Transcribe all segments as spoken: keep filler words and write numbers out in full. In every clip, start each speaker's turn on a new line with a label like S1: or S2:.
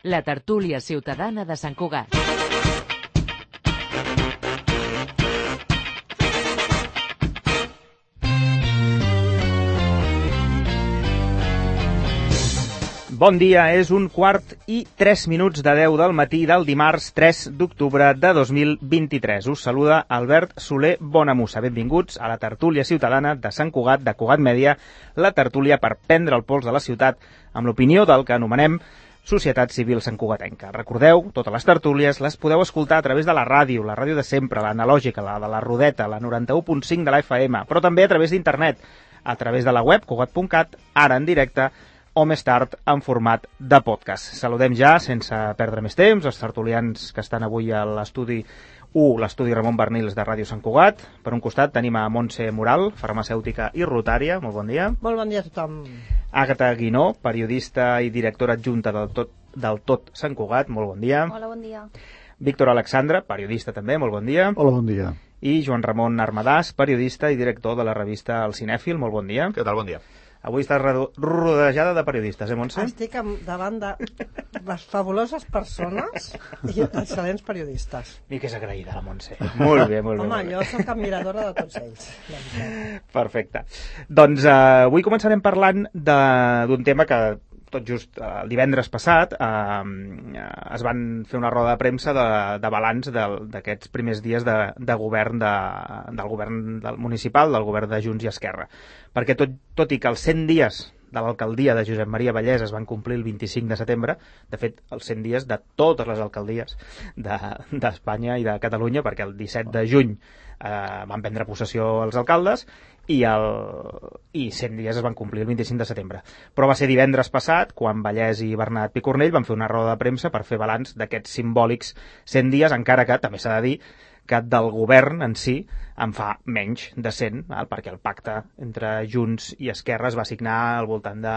S1: la tertúlia ciutadana de Sant Cugat.
S2: Bon dia, és un quart i tres minuts de deu del matí del dimarts tres d'octubre de dos mil vint-i-tres. Us saluda Albert Soler Bonamussa. Benvinguts a la tertúlia ciutadana de Sant Cugat, de Cugat Mèdia, la tertúlia per prendre el pols de la ciutat amb l'opinió del que anomenem Societat Civil Santcugatenca. Recordeu, totes les tertúlies les podeu escoltar a través de la ràdio, la ràdio de sempre, l'analògica, la de la Rodeta, la noranta-u punt cinc de la F M, però també a través d'internet, a través de la web cugat punt cat, ara en directe, o més tard en format de podcast. Saludem ja, sense perdre més temps, els tertulians que estan avui a l'estudi u, l'estudi Ramon Bernils de Ràdio Sant Cugat. Per un costat tenim a Montse Moral, farmacèutica i rotària. Molt bon dia.
S3: Molt bon dia a tothom.
S2: Àgata Guinó, periodista i directora adjunta del Tot, del Tot Sant Cugat. Molt bon dia.
S4: Hola, bon dia.
S2: Víctor Alexandre, periodista també. Molt bon dia.
S5: Hola, bon dia.
S2: I Joan Ramon Armadàs, periodista i director de la revista El Cinèfil. Molt bon dia.
S6: Què tal? Bon dia.
S2: Avui estàs rodejada de periodistes, eh, Montse?
S3: Estic davant de les fabuloses persones i excel·lents periodistes.
S2: I que és agraïda, la Montse. Molt bé, molt bé.
S3: Home,
S2: molt bé.
S3: jo soc admiradora de tots ells.
S2: Perfecte. Doncs eh, avui començarem parlant d'un tema que tot just eh, el divendres passat eh, es van fer una roda de premsa de, de balanç d'aquests primers dies de, de govern de, del govern del municipal, del govern de Junts i Esquerra. Perquè tot, tot i que els cent dies de l'alcaldia de Josep Maria Vallès es van complir el vint-i-cinc de setembre, de fet, els cent dies de totes les alcaldies d'Espanya de, i de Catalunya, perquè el disset de juny eh, van prendre possessió els alcaldes i, el, i cent dies es van complir el vint-i-cinc de setembre. Però va ser divendres passat, quan Vallès i Bernat Picornell van fer una roda de premsa per fer balanç d'aquests simbòlics cent dies, encara que, també s'ha de dir, que del govern en si en fa menys de cent, val? Perquè el pacte entre Junts i Esquerra es va signar al voltant de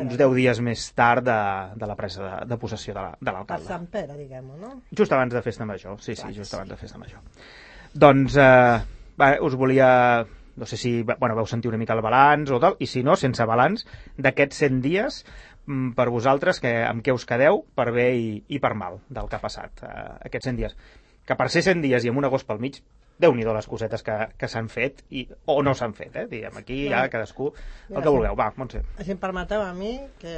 S2: uns deu dies més tard de, de la presa de, de possessió de l'alcalde.
S3: Per Sant Pere, diguem-ho, no?
S2: Just abans de Festa Major, sí, sí, just abans de Festa Major. Doncs eh, va, us volia, no sé si bueno, vau sentir una mica el balanç o tal, i si no, sense balanç, d'aquests cent dies, per vosaltres, que, amb què us quedeu, per bé i, i per mal, del que ha passat eh, aquests cent dies. Que per ser cent dies i amb un agost pel mig, déu-n'hi-do les cosetes que, que s'han fet i, o no s'han fet, eh? Diguem, aquí ja cadascú el que vulgueu. Va, Montse.
S3: Si em permeteu a mi, que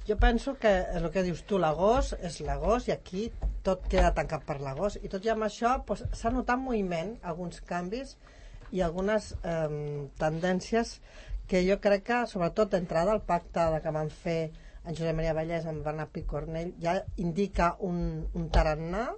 S3: jo penso que el que dius tu, l'agost és l'agost i aquí tot queda tancat per l'agost i tot i amb això pues, s'ha notat moviment, alguns canvis i algunes eh, tendències que jo crec que, sobretot d'entrada, el pacte que van fer en Josep Maria Vallès amb Bernat Picornell ja indica un, un tarannà.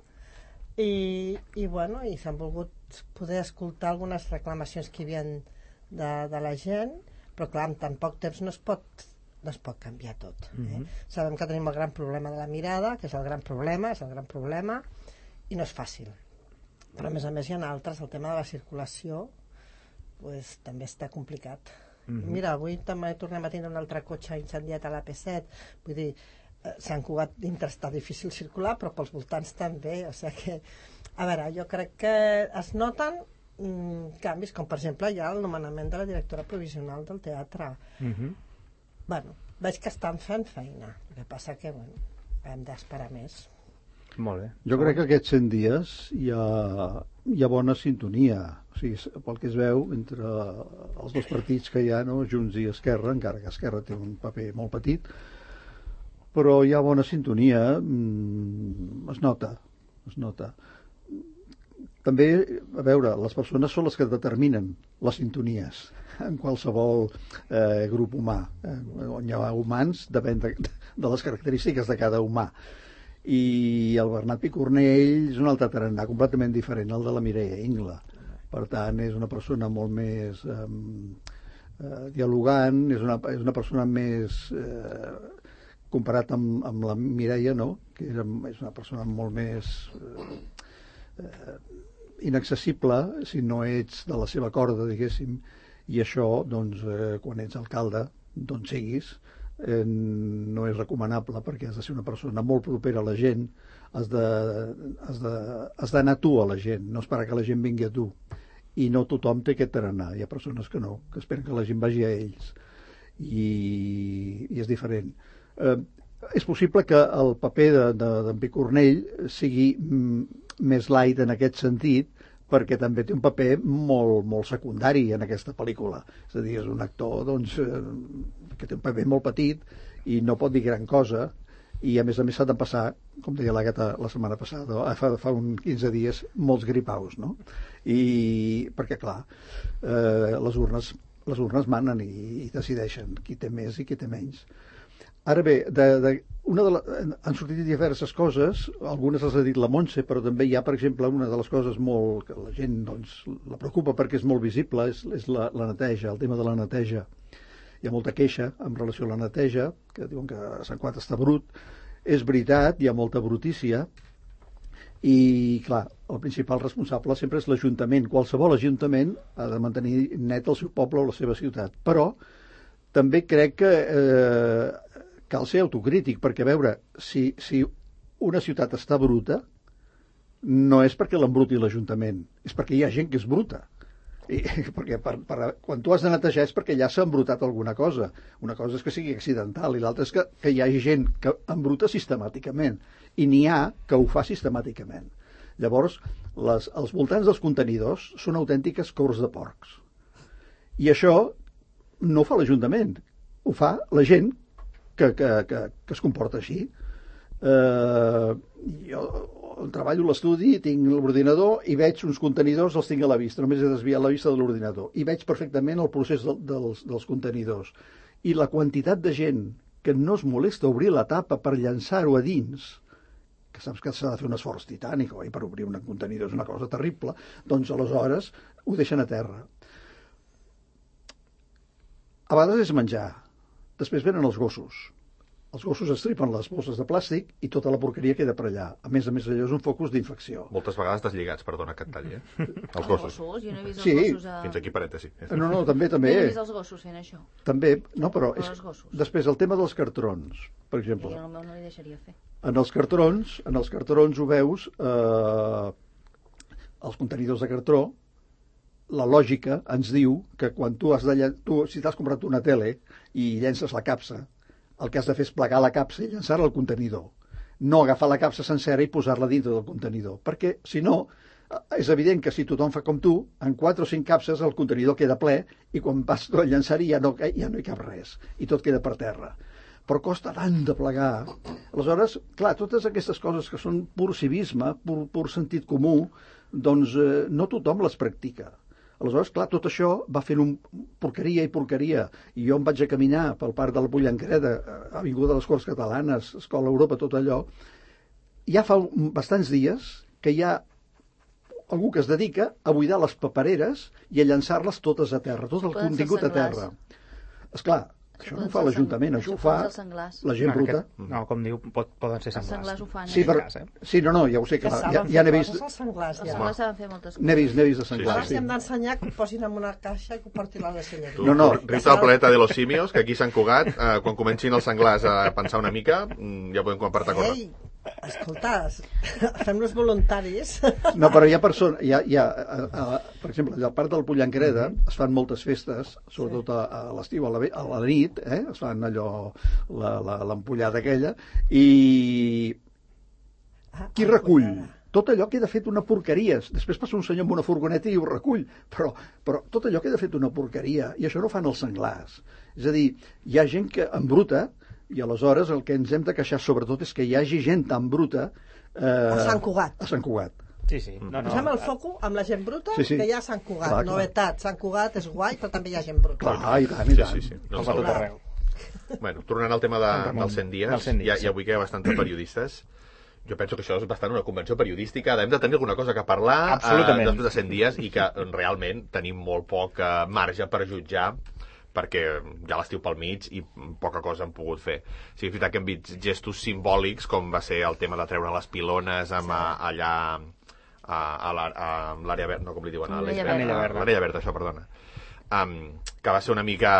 S3: I, i, bueno, i s'han volgut poder escoltar algunes reclamacions que hi havia de, de la gent, però clar, en tan poc temps no es pot, no es pot canviar tot. Eh? Mm-hmm. Sabem que tenim el gran problema de la mirada, que és el gran problema, és el gran problema, i no és fàcil. Però a més a més hi ha altres, el tema de la circulació pues, també està complicat. Mm-hmm. Mira, avui també tornem a tenir un altre cotxe incendiat a l'A P set, vull dir, Sant Cugat dintre està difícil circular, però pels voltants també, o sigui que, a veure, jo crec que es noten mm, canvis, com per exemple hi ha el nomenament de la directora provisional del teatre. Uh-huh. Bueno, veig que estan fent feina, el que passa que, bueno, hem d'esperar més.
S2: Molt bé.
S5: Jo crec que aquests cent dies hi ha, hi ha bona sintonia, o sigui, pel que es veu entre els dos partits que hi ha, no? Junts i Esquerra, encara que Esquerra té un paper molt petit, però hi ha bona sintonia, mm, es nota, es nota. També, a veure, les persones són les que determinen les sintonies en qualsevol eh, grup humà. Eh, on hi ha humans, depèn de, de les característiques de cada humà. I el Bernat Picornell és un altre tarannà completament diferent al de la Mireia Ingla. Per tant, és una persona molt més eh, eh, dialogant, és una, és una persona més... Eh, comparat amb, amb la Mireia, no? Que era, és una persona molt més eh, eh, inaccessible si no ets de la seva corda, diguéssim, i això, doncs, eh, quan ets alcalde, d'on siguis, eh, no és recomanable perquè has de ser una persona molt propera a la gent, has de, has de, has d'anar tu a la gent, no esperar que la gent vingui a tu. I no tothom té aquest tarannà, hi ha persones que no, que esperen que la gent vagi a ells. I, i és diferent. Eh, és possible que el paper d'en de, de, Picornell sigui mm, més light en aquest sentit, perquè també té un paper molt, molt secundari en aquesta pel·lícula. És a dir, és un actor doncs, eh, que té un paper molt petit i no pot dir gran cosa, i a més a més s'ha de passar, com deia l'Àgata la setmana passada, fa, fa uns quinze dies, molts gripaus, no? I perquè, clar, eh, les urnes les urnes manen i, i decideixen qui té més i qui té menys. Ara bé, de, de, una de la, han sortit diverses coses, algunes les ha dit la Montse, però també hi ha, per exemple, una de les coses molt, que la gent doncs, la preocupa perquè és molt visible, és, és la, la neteja, el tema de la neteja. Hi ha molta queixa en relació a la neteja, que diuen que Sant Cugat està brut. És veritat, hi ha molta brutícia, i, clar, el principal responsable sempre és l'Ajuntament. Qualsevol Ajuntament ha de mantenir net el seu poble o la seva ciutat. Però també crec que eh, cal ser autocrític, perquè, a veure, si, si una ciutat està bruta, no és perquè l'embruti l'Ajuntament, és perquè hi ha gent que és bruta. I, perquè per, per, quan tu has de netejar és perquè ja s'ha embrutat alguna cosa. Una cosa és que sigui accidental i l'altra és que, que hi hagi gent que embruta sistemàticament, i n'hi ha que ho fa sistemàticament. Llavors, les, els voltants dels contenidors són autèntiques cors de porcs. I això no ho fa l'Ajuntament, ho fa la gent que, que, que, que es comporta així. Eh, jo treballo a l'estudi, tinc l'ordinador i veig uns contenidors, els tinc a la vista, només he desviat la vista de l'ordinador, i veig perfectament el procés de, dels, dels contenidors. I la quantitat de gent que no es molesta a obrir la tapa per llançar-ho a dins, que saps que s'ha de fer un esforç titànic oi, per obrir un contenidor, és una cosa terrible, doncs aleshores ho deixen a terra. A vegades és menjar, després venen els gossos. Els gossos estripen les bosses de plàstic i tota la porqueria queda per allà. A més a més, allò és un focus d'infecció.
S4: Moltes vegades deslligats, perdona que et talli, eh? Els
S6: gossos.
S4: gossos.
S6: Jo no he vist els
S5: sí.
S6: gossos a...
S4: Fins aquí parèntesi.
S5: No, no, també, també.
S6: Jo no he vist els gossos fent això.
S5: També, no, però...
S6: Però
S5: És...
S6: els gossos.
S5: Després, el tema dels cartrons, per exemple.
S6: Jo no, no li deixaria fer.
S5: En els cartrons, en els cartrons ho veus, eh, els contenidors de cartró, la lògica ens diu que quan tu has de... Llen... Tu, si t'has comprat una tele i llences la capsa, el que has de fer és plegar la capsa i llançar-la al contenidor. No agafar la capsa sencera i posar-la dintre del contenidor. Perquè, si no, és evident que si tothom fa com tu, en quatre o cinc capses el contenidor queda ple i quan vas a llançar-hi ja, no, ja no hi cap res. I tot queda per terra. Però costa tant de plegar. Aleshores, clar, totes aquestes coses que són pur civisme, pur, pur sentit comú, doncs eh, no tothom les practica. Aleshores, clar, tot això va fent un porqueria i porqueria. I jo em vaig a caminar pel parc de la Pollancreda, Avinguda de les Corts Catalanes, Escola Europa, tot allò. Ja fa bastants dies que hi ha algú que es dedica a buidar les papereres i a llançar-les totes a terra, tot el contingut a terra. Esclar, això no ho fa l'Ajuntament, això ho fa la gent bruta.
S2: No, com diu, pot, poden ser
S6: Els
S2: senglars.
S6: senglars ho fan.
S5: Sí,
S6: eh?
S5: però, sí, no, no, ja ho sé, que
S3: Que
S5: ja,
S3: saben
S5: ja
S3: fer
S5: n'he vist,
S3: coses als senglars,
S6: Els
S3: ja.
S6: senglars saben fer moltes coses.
S5: n'he vist, n'he vist de
S3: Ara
S5: senglars,
S3: si
S5: sí.
S3: hem d'ensenyar que ho posin en una caixa i que ho portin a la deixalleria.
S5: No, no.
S4: Rita al planeta de los simios, que aquí a Sant Cugat, eh, quan comencin els senglars a pensar una mica, mm, ja podem compartir coses.
S3: Ei, escolta, fem-nos voluntaris.
S5: No, però hi ha persones, hi ha, hi ha, a, a, per exemple, al parc del Pollancreda es fan moltes festes, sobretot a, a l'estiu, a, la, ve- a la nit, eh? Es fan allò, la- la- l'ampollada aquella, i
S3: Ah,
S5: qui recull? Tot allò queda fet una porqueria. Després passa un senyor amb una furgoneta i ho recull, però, però tot allò queda fet una porqueria, i això no fan els senglars. És a dir, hi ha gent que embruta, i aleshores el que ens hem de queixar sobretot és que hi hagi gent tan bruta eh,
S3: A Sant Cugat.
S5: A Sant Cugat.
S2: Sí, sí. No, no.
S3: Posem el foco amb la gent bruta,
S5: Sí, sí.
S3: que hi ha a Sant Cugat.
S5: Clar, clar.
S3: Novetat, Sant Cugat és guai, però també hi ha gent bruta.
S5: Clar, i tant, i
S4: Sí,
S5: tant.
S4: sí, sí. No
S2: Els
S4: ens
S2: a tot
S4: haurà.
S2: arreu.
S4: Bueno, tornant al tema de,
S2: En Ramon,
S4: dels cent dies,
S2: dels cent dies,
S4: ja,
S2: sí.
S4: ja avui que hi ha bastants periodistes, jo penso que això és bastant una convenció periodística, hem de tenir alguna cosa que parlar
S2: Absolutament.
S4: eh, després de cent dies i que realment tenim molt poc eh, marge per jutjar perquè hi ha l'estiu pel mig i poca cosa hem pogut fer. Sí, és veritat que hem vist gestos simbòlics com va ser el tema de treure les pilones amb, sí. allà a, a la- a l'àrea verda, no com li diuen, a
S6: L'Anella
S4: l'Eix-
S2: Verda.
S4: a l'Anella Verda, això, perdona. Um, que va ser una mica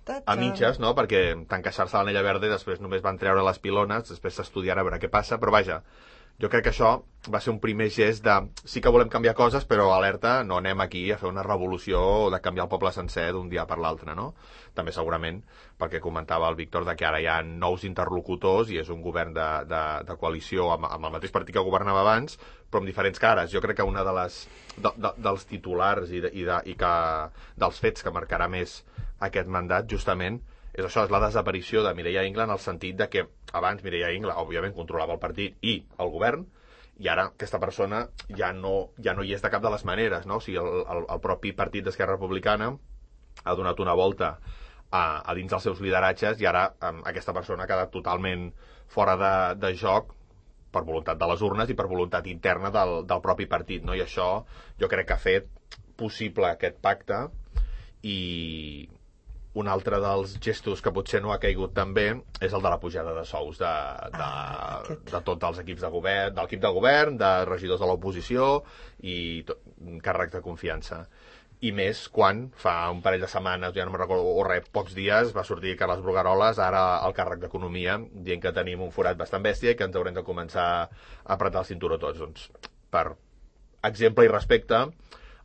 S4: a mitges, no? Perquè tant queixar-se a l'Anella Verda i després només van treure les pilones, després s'estudiarà a veure què passa, però vaja, Jo crec que això va ser un primer gest de sí que volem canviar coses, però alerta, no anem aquí a fer una revolució de canviar el poble sencer d'un dia per l'altre, no? També segurament perquè comentava el Víctor de que ara hi ha nous interlocutors i és un govern de, de, de coalició amb, amb el mateix partit que governava abans, però amb diferents cares. Jo crec que una de les de, de, dels titulars i, de, i, de, i que, dels fets que marcarà més aquest mandat, justament, és això, és la desaparició de Mireia Ingla en el sentit de que abans Mireia Ingla, òbviament, controlava el partit i el govern, i ara aquesta persona ja no, ja no hi és de cap de les maneres, no? O sigui, el, el, el propi partit d'Esquerra Republicana ha donat una volta a, a dins dels seus lideratges i ara um, aquesta persona ha quedat totalment fora de, de joc per voluntat de les urnes i per voluntat interna del, del propi partit, no? I això jo crec que ha fet possible aquest pacte. I un altre dels gestos que potser no ha caigut també és el de la pujada de sous de, de,
S3: Ah, aquest.
S4: de tots els equips de govern, de l'equip de govern, de regidors de l'oposició i tot, càrrecs de confiança. I més quan fa un parell de setmanes, ja no me'n recordo, o res, pocs dies, va sortir Carles Brugaroles, ara al càrrec d'Economia, dient que tenim un forat bastant bèstia i que ens haurem de començar a apretar el cinturó tots. Doncs, per exemple i respecte,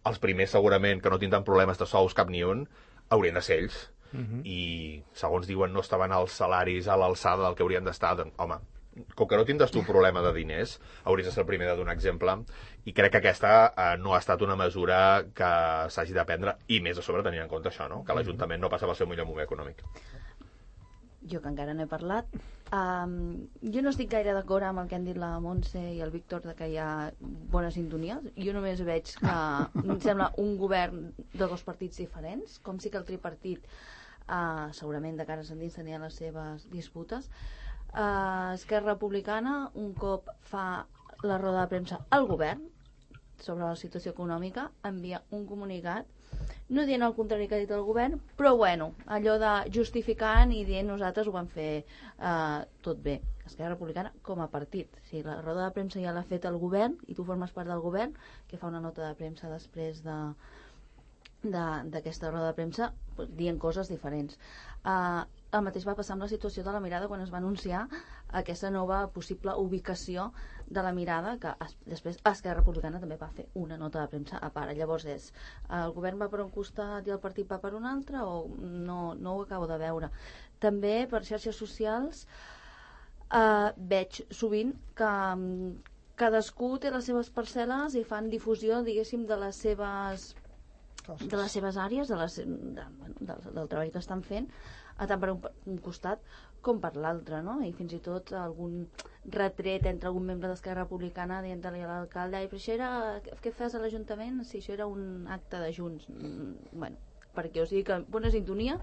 S4: els primers segurament que no tindran problemes de sous cap ni un, haurien de ser ells. Uh-huh. I, segons diuen, no estaven els salaris a l'alçada del que haurien d'estar. Doncs, home, com que no tindràs tu un problema de diners, hauries de ser el primer de donar exemple, i crec que aquesta eh, no ha estat una mesura que s'hagi de prendre, i més a sobre tenint en compte això, no? Que l'Ajuntament no passa pel seu millor moment econòmic.
S6: Jo, que encara no he parlat, um, jo no estic gaire d'acord amb el que han dit la Montse i el Víctor de que hi ha bona sintonia. Jo només veig que em sembla un govern de dos partits diferents, com si que el tripartit uh, segurament de cara a endins tenia les seves disputes. Uh, Esquerra Republicana un cop fa la roda de premsa al govern sobre la situació econòmica, envia un comunicat no dient el contrari que ha dit el govern, però bueno, allò de justificant i dient nosaltres ho vam fer eh, tot bé. Esquerra Republicana com a partit. Si la roda de premsa ja l'ha fet el govern i tu formes part del govern, que fa una nota de premsa després de d'aquesta roda de premsa, pues, dient coses diferents. Uh, el mateix va passar amb la situació de la Mirada quan es va anunciar aquesta nova possible ubicació de la Mirada, que es, després Esquerra Republicana també va fer una nota de premsa a part. Llavors és, el govern va per un costat i el partit va per un altre, o no, no ho acabo de veure. També per xarxes socials uh, veig sovint que um, cadascú té les seves parcel·les i fan difusió, diguéssim, de les seves de les seves àrees, de les, de, bueno, del, del treball que estan fent, tant per un, un costat com per l'altre, no? I fins i tot algun retret entre algun membre d'Esquerra Republicana dient-li a l'alcalde, però això era, què fas a l'Ajuntament? Si això era un acte de Junts. Mm, bueno, perquè o sigui que bona sintonia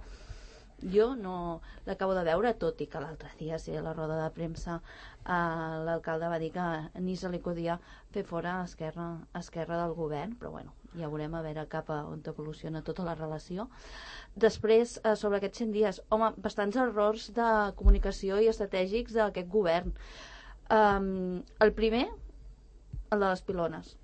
S6: jo no l'acabo de veure, tot i que l'altre dia, sí, a la roda de premsa eh, l'alcalde va dir que ni se li podia fer fora Esquerra, Esquerra del govern, però bueno, ja veurem a veure cap a on evoluciona tota la relació. Després, eh, sobre aquests cent dies, home, bastants errors de comunicació i estratègics d'aquest govern. Um, el primer, el de les pilones.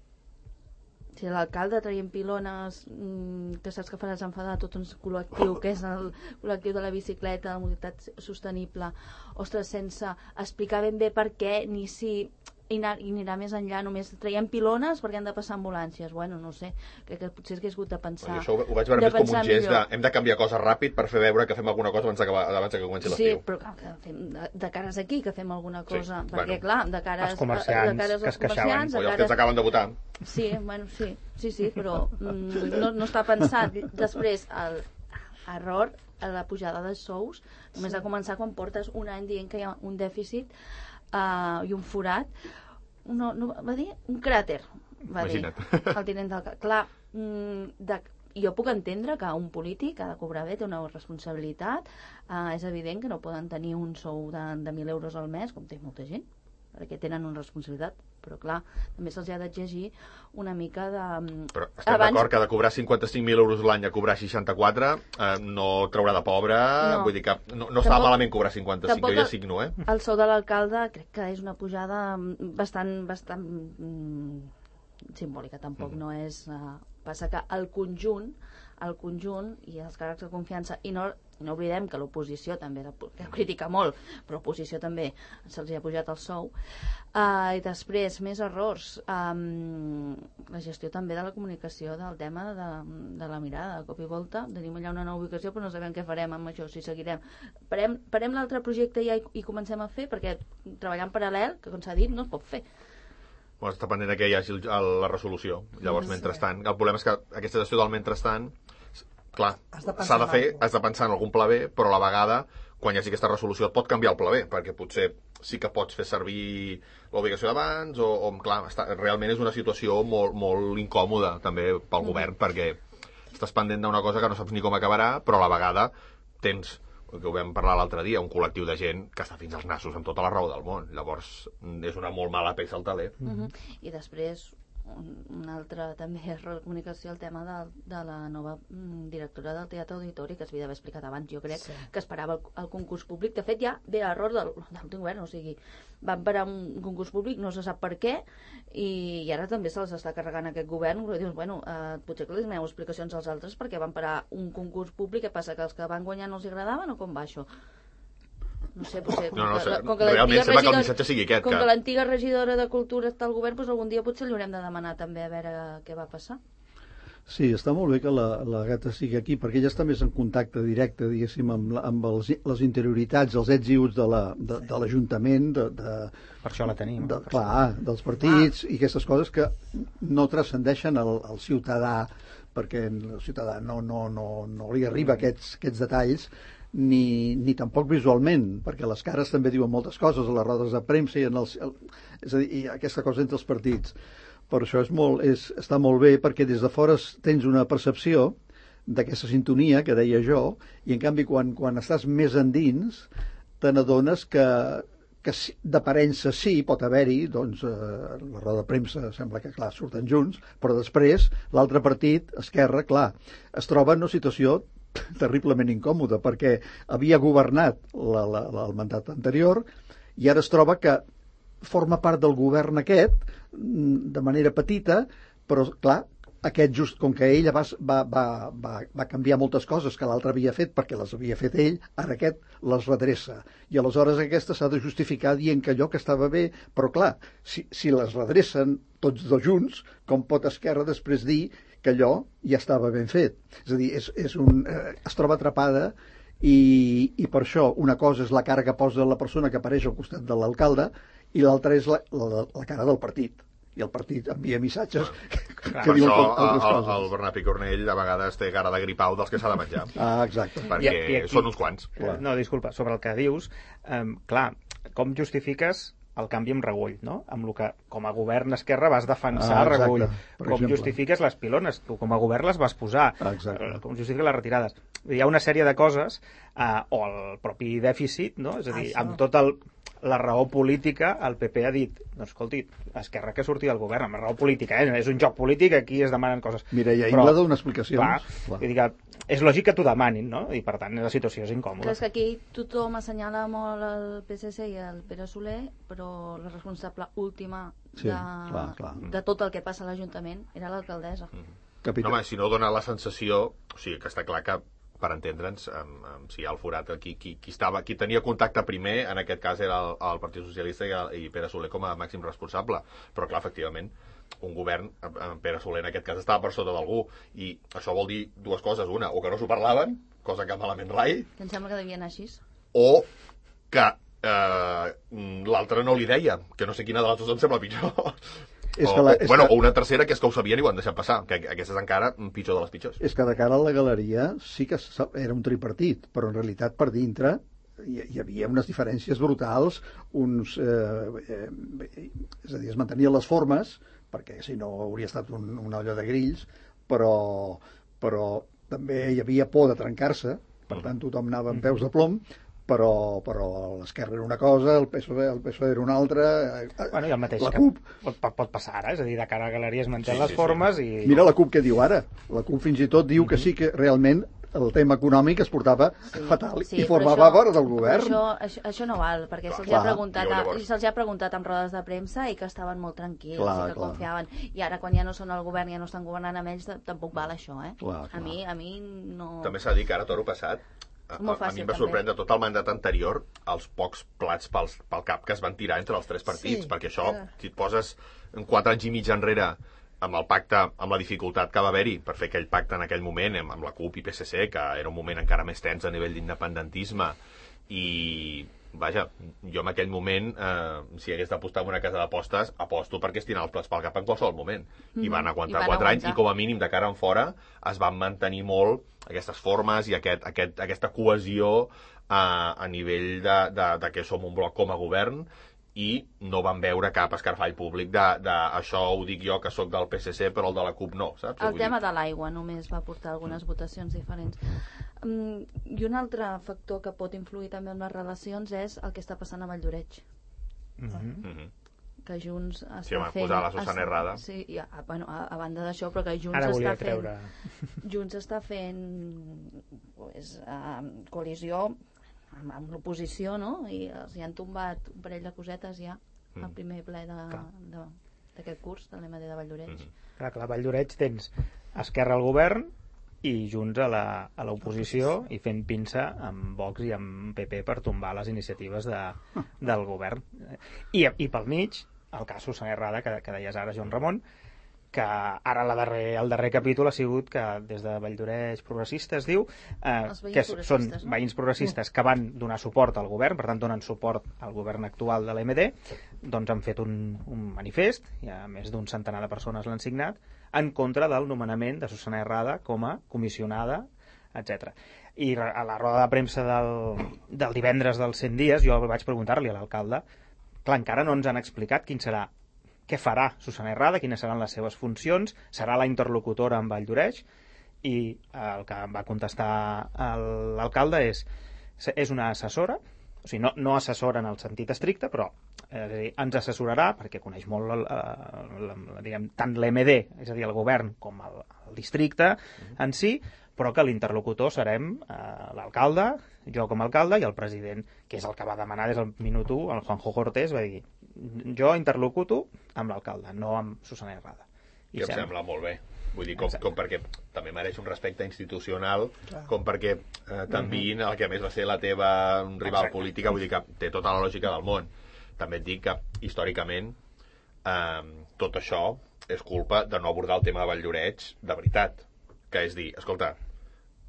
S6: Si l'alcalde traient pilones, mmm, que saps que faràs enfadar tot un col·lectiu, que és el col·lectiu de la bicicleta, de la mobilitat sostenible, ostres, sense explicar ben bé per què, ni si i anar, i anirà més enllà, només traient pilones perquè han de passar ambulàncies. Bueno, no sé, crec que potser hagués hagut de pensar.
S4: Això ho, ho vaig veure més com un gest de, hem de canviar coses ràpid per fer veure que fem alguna cosa abans, abans que comenci l'estiu.
S6: Sí, però clar, que fem de, de cares aquí, que fem alguna cosa,
S4: sí,
S6: perquè
S4: bueno,
S6: clar, de cares,
S2: els comerciants,
S6: de cares
S2: que es queixaven.
S4: O els que ens acaben de votar.
S6: Sí, bueno, sí, sí, sí, però mm, no, no està pensat. Després, el error a la pujada dels sous només sí. ha començat quan portes un any dient que hi ha un dèficit uh, i un forat. No, no, va dir un cràter, va
S4: Imagina't.
S6: dir el tinent d'alcalde. Clar, de, jo puc entendre que un polític ha de cobrar bé, té una responsabilitat, eh, és evident que no poden tenir un sou de, de mil euros al mes, com té molta gent, perquè tenen una responsabilitat, però clar, també se'ls ha d'exigir una mica de...
S4: Però estem abans... d'acord que de cobrar cinquanta-cinc mil euros l'any a cobrar seixanta-quatre eh, no traurà de pobre, no. Vull dir que no, no estava malament cobrar cinquanta-cinc, jo ja signo, eh?
S6: El sou de l'alcalde crec que és una pujada bastant, bastant mm, simbòlica, tampoc mm. no és... Uh, passa que el conjunt al conjunt i els càrrecs de confiança, i no, no oblidem que l'oposició també la, la critica molt, però l'oposició també se'ls ha pujat el sou. Uh, I després, més errors. Um, la gestió també de la comunicació del tema de, de la mirada, de cop i volta. Tenim allà una nova ubicació, però no sabem què farem amb això, si seguirem. Parem, parem l'altre projecte ja i, i comencem a fer, perquè treballar en paral·lel, que com s'ha dit, no es pot fer.
S4: Bueno, està pendent que hi hagi la resolució. Llavors, sí, mentrestant, el problema és que aquesta gestió del mentrestant, clar, s'ha de fer, has de pensar en algun pla B, però a la vegada, quan hi hagi aquesta resolució, et pot canviar el pla B, perquè potser sí que pots fer servir l'obligació d'abans, o, o clar, està, realment és una situació molt, molt incòmoda, també, pel mm. govern, perquè estàs pendent d'una cosa que no saps ni com acabarà, però a la vegada tens, que ho vam parlar l'altre dia, un col·lectiu de gent que està fins als nassos amb tota la raó del món. Llavors, és una molt mala peça al taler.
S6: Mm -hmm. I després, un, un altre també error de comunicació, el tema de, de la nova mm, directora del Teatre Auditori, que es havia d'haver explicat abans, jo crec, sí. que esperava el, el concurs públic. De fet, ja ve l'error del, de l'últim govern, o sigui, van parar un concurs públic, no se sap per què, i, i ara també se'ls està carregant aquest govern, però dius, bueno, eh, potser que li doneu explicacions als altres perquè van parar un concurs públic, què passa, que els que van guanyar no els agradaven o com va això? No sé, potser, com,
S4: no, no,
S6: que,
S4: sé.
S6: com que
S4: realment sembla que el
S6: regidora,
S4: missatge sigui aquest.
S6: Com
S4: que,
S6: que l'antiga regidora de Cultura està al govern, doncs algun dia potser li haurem de demanar també a veure què va passar.
S5: Sí, està molt bé que la, la Gata sigui aquí, perquè ella està més en contacte directe, diguéssim, amb, amb els, les interioritats, els ets i uts de l'Ajuntament, de, de, de,
S2: per això la tenim.
S5: De, clar, dels partits, ah. i aquestes coses que no transcendeixen al, al ciutadà, perquè el ciutadà no, no, no, no li arriba aquests, aquests detalls, ni, ni tampoc visualment, perquè les cares també diuen moltes coses a les rodes de premsa i, en els, el, és a dir, i aquesta cosa entre els partits. Per això és molt, és, està molt bé, perquè des de fora tens una percepció d'aquesta sintonia que deia jo, i en canvi quan, quan estàs més endins te n'adones que, que d'aparença sí, pot haver-hi, doncs eh, la roda de premsa sembla que clar, surten junts, però després l'altre partit, Esquerra, clar, es troba en una situació terriblement incòmoda, perquè havia governat la, la, la, el mandat anterior i ara es troba que forma part del govern aquest de manera petita, però clar, aquest just com que ella va, va, va, va, va canviar moltes coses que l'altre havia fet perquè les havia fet ell, ara aquest les redreça. I aleshores aquesta s'ha de justificar dient que allò que estava bé, però clar, si, si les redrecen tots dos junts, com pot Esquerra després dir que allò ja estava ben fet? És a dir, és, és un, eh, es troba atrapada i, i per això una cosa és la cara que posa la persona que apareix al costat de l'alcalde i l'altra és la, la, la cara del partit. I el partit envia missatges que,
S4: clar,
S5: que diuen
S4: això,
S5: altres
S4: el,
S5: coses.
S4: El Bernat Picornell a vegades té cara de gripau dels que s'ha de menjar.
S5: Ah, exacte.
S4: Perquè
S2: I, i aquí,
S4: són uns quants.
S2: Clar. No, disculpa, sobre el que dius, eh, clar, com justifiques el canvi amb Regull, no? Amb el que com a govern Esquerra vas defensar ah, Regull. Com exemple. Justifiques les pilones, tu com a govern les vas posar.
S5: Exacte.
S2: Com justifiques les retirades. Hi ha una sèrie de coses, eh, o el propi dèficit, no? És a dir, Això. amb tot el la raó política, el P P ha dit, doncs escolti, Esquerra que surti del govern, amb la raó política, eh? És un joc polític, aquí es demanen coses.
S5: Mireia Ingla dona explicacions.
S2: Clar, clar. Vull dir que és lògic que t'ho demanin, no? I per tant la situació és incòmoda.
S6: Clar, és que aquí tothom assenyala molt el P S C i el Pere Soler, però la responsable última
S5: sí,
S6: de,
S5: clar, clar.
S6: de tot el que passa a l'Ajuntament era l'alcaldessa.
S4: Mm. No, home, si no dona la sensació, o sigui, que està clar que per entendre'ns, amb, amb, si hi ha el forat, qui, qui, qui, estava, qui tenia contacte primer, en aquest cas era el, el Partit Socialista i, el, i Pere Soler com a màxim responsable. Però, clar, efectivament, un govern, amb Pere Soler en aquest cas, estava per sota d'algú, i això vol dir dues coses. Una, o que no s'ho parlaven, cosa que malament rai,
S6: que em sembla que devia anar així,
S4: o que eh, l'altre no li deia, que no sé quina de les dues em sembla pitjor.
S5: És
S4: o,
S5: que la,
S4: o,
S5: és
S4: bueno,
S5: que...
S4: o una tercera que és que ho sabien i ho han deixat passar, que aquesta és encara pitjor de les pitjors.
S5: És que de cara a la galeria sí que era un tripartit, però en realitat per dintre hi, hi havia unes diferències brutals, uns, eh, eh, és a dir, es mantenien les formes, perquè si no hauria estat un, una olla de grills, però, però també hi havia por de trencar-se, per tant tothom anava amb peus de plom, però, però l'Esquerra era una cosa, el P S O E, el P S O E era una altra,
S2: bueno, i el mateix
S5: la CUP.
S2: Pot, pot passar ara, és a dir, de cara a la galeria es manté
S4: sí,
S2: les
S4: sí,
S2: formes
S4: sí.
S2: i...
S5: Mira la CUP què diu ara, la CUP fins i tot diu que sí que realment el tema econòmic es portava
S6: Sí,
S5: fatal
S6: sí,
S5: i
S6: però
S5: formava
S6: això-
S5: part del
S6: però
S5: govern.
S6: Això, això, això no val, perquè
S4: Clar,
S6: se'ls
S5: clar.
S6: ha preguntat,
S4: Jo
S6: a,
S4: llavors-
S6: se'ls ha preguntat en rodes de premsa i que estaven molt tranquils
S5: Clar,
S6: i que
S5: clar.
S6: confiaven. I ara, quan ja no són al govern, ja no estan governant amb ells, tampoc val això, eh?
S5: Clar,
S6: A
S5: clar.
S6: mi, a mi no...
S4: També s'ha de dir que ara, toro passat, a,
S6: És molt
S4: a, a
S6: fàcil,
S4: mi em va
S6: també.
S4: sorprendre tot el mandat anterior els pocs plats pels, pel cap que es van tirar entre els tres partits,
S3: Sí,
S4: perquè això,
S3: era.
S4: si et poses en quatre anys i mig enrere amb el pacte, amb la dificultat que va haver-hi per fer aquell pacte en aquell moment amb, amb la CUP i P S C, que era un moment encara més tens a nivell d'independentisme, i vaja, jo en aquell moment eh, si hagués d'apostar en una casa d'apostes aposto perquè es tiraven els plats pel cap en qualsevol moment i van aguantar
S6: I van
S4: quatre anys
S6: aguantar.
S4: i com a mínim de cara en fora es van mantenir molt aquestes formes i aquest, aquest, aquesta cohesió a, a nivell de, de, de que som un bloc com a govern i no van veure cap escarfall públic de, de això ho dic jo que sóc del P S C però el de la CUP no, saps?
S6: El
S4: Vull
S6: tema
S4: dir,
S6: de l'aigua només va portar algunes votacions diferents. Um, I un altre factor que pot influir també en les relacions és el que està passant a Valldoreix,
S2: Mhm.
S4: mhm.
S6: que Junts està
S4: Sí, home,
S6: fent...
S4: posar la Susana
S6: es-
S4: Herrada.
S6: Sí, i a, bueno, a, a banda d'això, però que Junts
S2: Ara volia
S6: està fent...
S2: treure...
S6: Junts està fent pues, uh, coalició amb, amb l'oposició, no? I els hi han tombat un parell de cosetes ja al
S4: Mm.
S6: primer ple de-
S2: Clar.
S6: de- d'aquest curs de l'M D de Valldoreix.
S4: Mhm.
S2: Clar, clar, a Valldoreix tens Esquerra al govern i Junts a la- a l'oposició i fent pinça amb Vox i amb P P per tombar les iniciatives de, del govern. I, i pel mig, el cas Susana Herrada, que, que deies ara, Joan Ramon, que ara la darrer, el darrer capítol ha sigut que des de Valldoreix Progressista es diu eh,
S6: Els veïns
S2: que són
S6: progressistes, no?
S2: veïns progressistes que van donar suport al govern, per tant donen suport al govern actual de l'M D, doncs han fet un, un manifest, i a més d'un centenar de persones l'han signat, en contra del nomenament de Susana Herrada com a comissionada, etcètera. I re- a la roda de premsa del, del divendres dels cent dies jo vaig preguntar-li a l'alcalde, clar, encara no ens han explicat quin serà què farà Susana Herrada, quines seran les seves funcions, serà la interlocutora amb Valldoreix, i el que va contestar el- l'alcalde és és una assessora, o sigui, no, no assessora en el sentit estricte, però eh, és a dir, ens assessorarà, perquè coneix molt el, el, el, diguem, tant l'M D, és a dir, el govern, com el, el districte en si, però que l'interlocutor serem eh, l'alcalde, jo com a alcalde, i el president, que és el que va demanar des del minut u, el Juanjo Cortés, va dir, jo interlocuto amb l'alcalde, no amb Susana Herrada.
S4: I em sembla molt bé. Vull dir, com,
S2: Exacte.
S4: com perquè també mereix un respecte institucional,
S3: Clar.
S4: com perquè eh, t'enviïn el que a més va ser la teva rival
S2: Exacte.
S4: política, vull dir que té tota la lògica del món. També et dic que, històricament, eh, tot això és culpa de no abordar el tema de Valldoreix de veritat. Que és dir, escolta,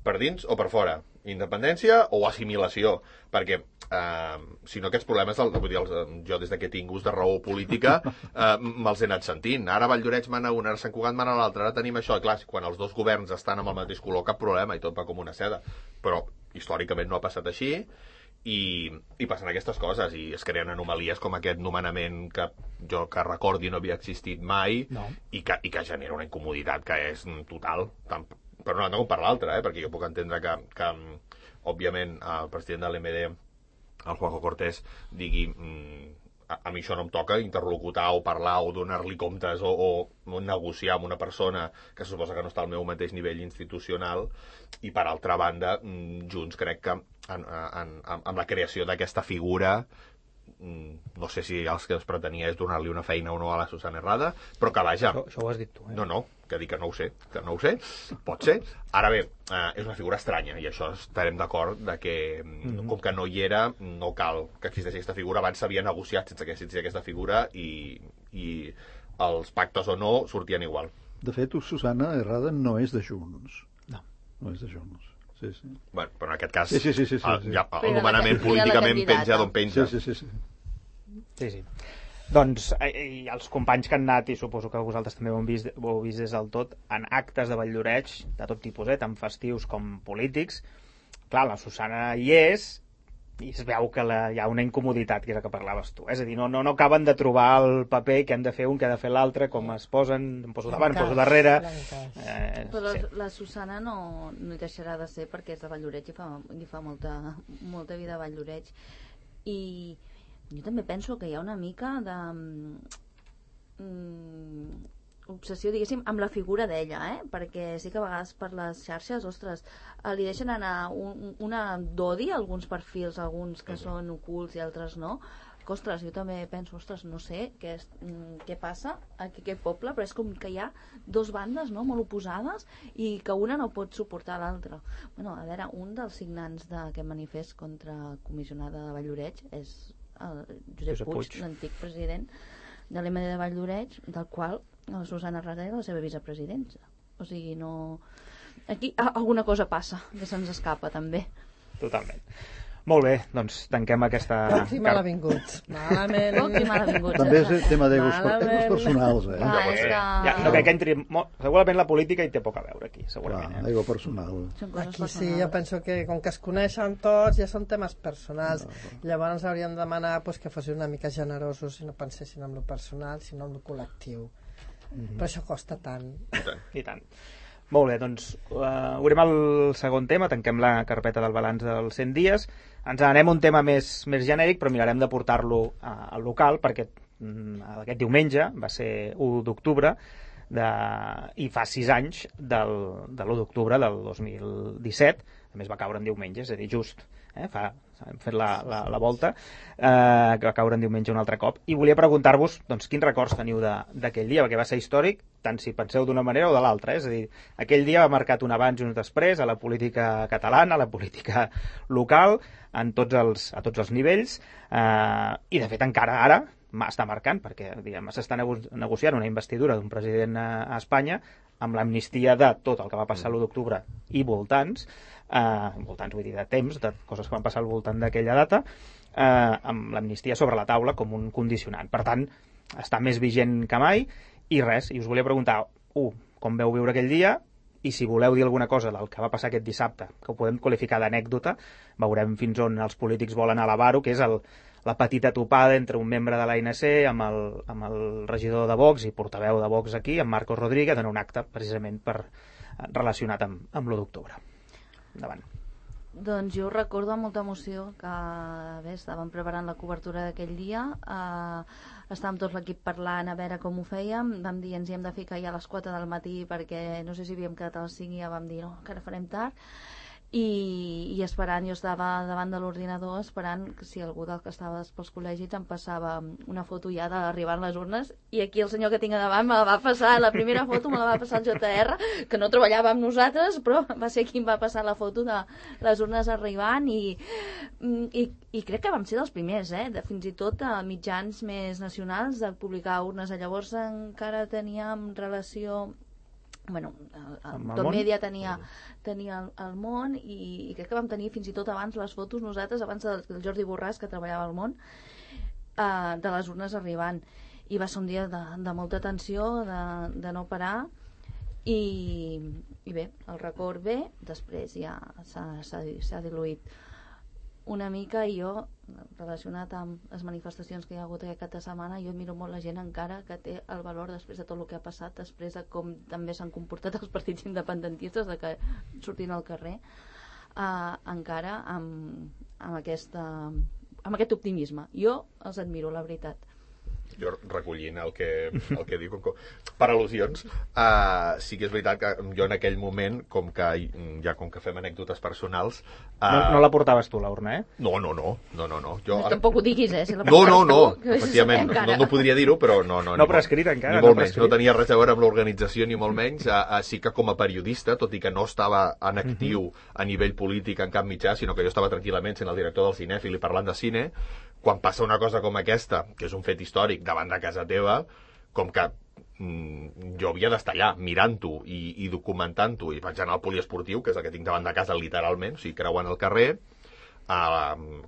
S4: per dins o per fora? Independència o assimilació? Perquè, eh, si no, aquests problemes, el, vull dir, els, eh, jo des de que he tingut de raó política, eh, me'ls he anat sentint. Ara Valldoreix mana una, ara Sant Cugat mana l'altra, ara tenim això. Clar, quan els dos governs estan amb el mateix color, cap problema, i tot va com una seda. Però, històricament, no ha passat així, i, i passen aquestes coses, i es creen anomalies com aquest nomenament que jo que recordi no havia existit mai,
S2: No.
S4: i, que, i que genera una incomoditat que és mm, total, tant per una banda com per l'altra, eh? Perquè jo puc entendre que, que òbviament, el president de l'M D, el Juanjo Cortés, digui mm, a, a mi això no em toca interlocutar o parlar o donar-li comptes o, o negociar amb una persona que se suposa que no està al meu mateix nivell institucional, i per altra banda, mm, Junts crec que en, en, en, amb la creació d'aquesta figura, mm, no sé si els que es pretenia és donar-li una feina o no a la Susana Herrada, però que vaja,
S2: Això, això ho has dit tu, eh?
S4: no, no, que dic que no ho sé, que no ho sé, pot ser. Ara bé, eh, és una figura estranya, i això estarem d'acord de que, mm, com que no hi era, no cal que existeixi aquesta figura. Abans s'havia negociat sense que existeixi aquesta figura, i, i els pactes o no sortien igual.
S5: De fet, Susana Herrada no és de Junts.
S2: No.
S5: No és de Junts. Sí, sí.
S4: Bueno, però en aquest cas,
S5: Sí, sí, sí, sí, sí,
S4: el,
S5: sí.
S4: ja,
S6: Però
S4: el
S6: era la
S4: nomenament
S6: ca- era la
S4: políticament
S6: candidata.
S4: penja d'on penja.
S5: Sí, sí, sí, sí.
S2: Sí, sí. Doncs, eh, i els companys que han anat, i suposo que vosaltres també ho heu vist, ho heu vist des del tot, en actes de Valldoreix, de tot tipus, eh, tant festius com polítics, clar, la Susana hi és, i es veu que la, hi ha una incomoditat, que és el que parlaves tu. És a dir, no, no, no acaben de trobar el paper que han de fer un, que ha de fer l'altre, com es posen, em poso davant, em poso darrere... Eh,
S6: Però
S2: sí.
S6: la Susana no, no hi deixarà de ser perquè és de Valldoreix i fa, i fa molta, molta vida a Valldoreix. I jo també penso que hi ha una mica de... Mm, obsessió, diguéssim, amb la figura d'ella, eh? Perquè sí que a vegades per les xarxes, ostres, li deixen anar un, una d'odi a alguns perfils, alguns que són ocults i altres no, que, ostres, jo també penso, ostres, no sé què, és, què passa aquí a aquest poble, però és com que hi ha dos bandes, no?, molt oposades i que una no pot suportar l'altra. Bueno, a veure, un dels signants d'aquest manifest contra la comissionada de Vall-lloreig és el Josep, Josep Puig, Puig. l'antic president de l'M D de Vall-lloreig, del qual la Susana Rarder és la seva vicepresidenta. O sigui, no... Aquí alguna cosa passa, que se'ns escapa, també.
S2: Totalment. Molt bé, doncs tanquem aquesta...
S3: Pocs i malavinguts. Malament.
S6: Pocs i malavinguts.
S5: També és tema d'egos personals, eh?
S6: Ah, és que...
S2: Ja, no crec que entri... Molt... Segurament la política hi té poc a veure aquí, segurament.
S5: Clar, ego personal.
S3: Aquí sí, jo penso que com que es coneixen tots, ja són temes personals. No, no. Llavors hauríem de demanar pues, que fossin una mica generosos i no pensessin en lo personal, sinó en lo col·lectiu. Mm-hmm. Però això costa tant.
S2: I tant. I tant. Molt bé, doncs uh, obrim el segon tema, tanquem la carpeta del balanç dels cent dies, ens anem a un tema més, més genèric, però mirarem de portar-lo uh, al local, perquè um, aquest diumenge va ser u d'octubre, de... i fa sis anys del, de l'u d'octubre del dos mil disset, a més va caure en diumenge, és a dir, just, eh? fa, hem fet la, la, la volta, eh, que va caure en diumenge un altre cop, i volia preguntar-vos doncs, quins records teniu d'aquell dia, perquè va ser històric, tant si penseu d'una manera o de l'altra, eh? És a dir, aquell dia va marcat un abans i un després a la política catalana, a la política local, en tots els, a tots els nivells, eh, i de fet encara ara està marcant, perquè s'està nego negociant una investidura d'un president a, a Espanya amb l'amnistia de tot el que va passar l'u d'octubre i voltants, eh, voltants vull dir de temps, de coses que van passar al voltant d'aquella data, eh, amb l'amnistia sobre la taula com un condicionant. Per tant, està més vigent que mai, i res, i us volia preguntar, u, com veu viure aquell dia, i si voleu dir alguna cosa del que va passar aquest dissabte, que ho podem qualificar d'anècdota, veurem fins on els polítics volen elevar-ho, que és el, la petita topada entre un membre de l'A N C amb el, amb el regidor de Vox i portaveu de Vox aquí, en Marcos Rodríguez, en un acte precisament per, relacionat amb, amb l'u d'octubre. Endavant.
S6: Doncs jo recordo amb molta emoció que bé, estàvem preparant la cobertura d'aquell dia, eh, estàvem tot l'equip parlant a veure com ho fèiem, vam dir ens hi hem de ficar ja a les quatre del matí perquè no sé si havíem quedat a les cinc i ja vam dir no, encara farem tard, i, i esperant, jo estava davant de l'ordinador esperant que si algú del que estava pels col·legis em passava una foto ja d'arribant les urnes, i aquí el senyor que tinc a davant me la va passar, la primera foto me la va passar el J R, que no treballava amb nosaltres, però va ser qui em va passar la foto de les urnes arribant, i, i, i crec que vam ser dels primers, eh? De, fins i tot a mitjans més nacionals de publicar urnes. Llavors encara teníem relació... Bueno, el, el, tot Mèdia tenia, tenia el, el món, i, i crec que vam tenir fins i tot abans les fotos nosaltres, abans del, del Jordi Borràs, que treballava al món, eh, de les urnes arribant. I va ser un dia de, de molta tensió, de, de no parar, i, i bé, el record bé, després ja s'ha diluït una mica, i jo, relacionat amb les manifestacions que hi ha hagut aquest cap de setmana, jo miro molt la gent encara que té el valor després de tot el que ha passat, després de com també s'han comportat els partits independentistes, de que sortint al carrer, eh, encara amb, amb, aquesta, amb aquest optimisme. Jo els admiro, la veritat.
S4: Jo recollint el que, el que diu, com, per al·lusions, uh, sí que és veritat que jo en aquell moment, com que ja com que fem anècdotes personals... Uh,
S2: no, no la portaves tu, l'urna, eh?
S4: No, no, no, no, no, no. Jo,
S6: no tampoc ho diguis, eh? Si la
S4: no, no, no, tu, efectivament, no, no, no podria dir-ho, però no... No,
S2: no prescrit encara.
S4: Ni molt no menys, no tenia res a veure amb l'organització, ni molt menys. Uh, uh, sí que com a periodista, tot i que no estava en actiu uh-huh. a nivell polític en cap mitjà, sinó que jo estava tranquil·lament sent el director del Cinèfil i parlant de cine, quan passa una cosa com aquesta, que és un fet històric davant de casa teva, com que mm, jo havia d'estar allà mirant-ho i, i documentant-ho i penjant al poliesportiu, que és el que tinc davant de casa literalment, o sigui, creuant el carrer, a,